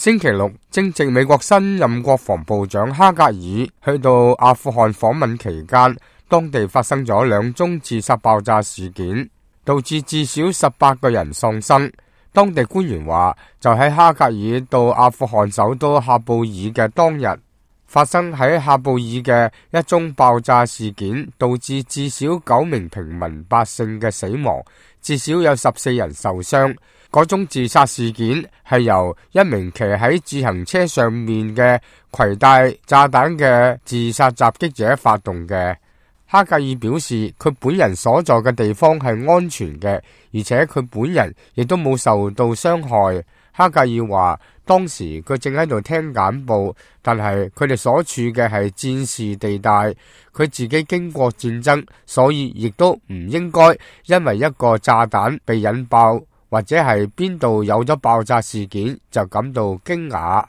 星期六，正值美國新任國防部長哈格爾去到阿富汗訪問期間，當地發生咗2宗自殺爆炸事件，導致至少18個人喪生。當地官員話，就喺哈格爾到阿富汗首都喀布爾嘅當日，發生喺喀布爾嘅一宗爆炸事件，導致至少9名平民百姓嘅死亡，至少有14人受傷。嗰宗自殺事件係由一名騎喺自行車上面嘅攜帶炸彈嘅自殺襲擊者發動嘅。哈格爾表示，佢本人所在嘅地方係安全嘅，而且佢本人亦都冇受到傷害。哈格爾話，當時佢正喺度聽簡報，但係佢哋所處嘅係戰事地帶，佢自己經過戰爭，所以亦都唔應該因為一個炸彈被引爆，或者係邊度有咗爆炸事件就感到驚訝。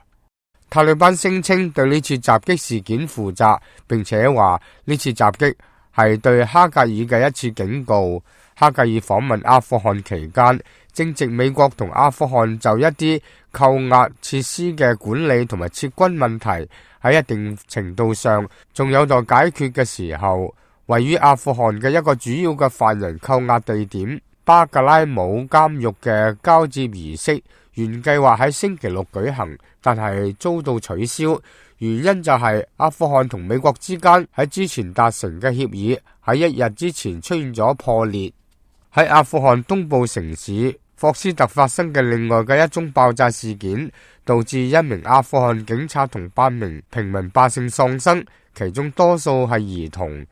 塔利班聲稱對呢次襲擊事件負責，並且話呢次襲擊係對哈格爾嘅一次警告。哈格爾訪問阿富汗期間，正值美國同阿富汗就一啲扣押設施嘅管理同埋撤軍問題喺一定程度上仲有待解決嘅時候，位於阿富汗嘅一個主要嘅犯人扣押地點巴格拉姆監獄嘅交接儀式原計劃喺星期六舉行，但係遭到取消。原因就係阿富汗同美國之間喺之前達成嘅協議喺1日之前出現咗破裂。喺阿富汗東部城市霍斯特發生嘅另外嘅一宗爆炸事件，導致1名阿富汗警察同8名平民百姓喪生，其中多數係兒童。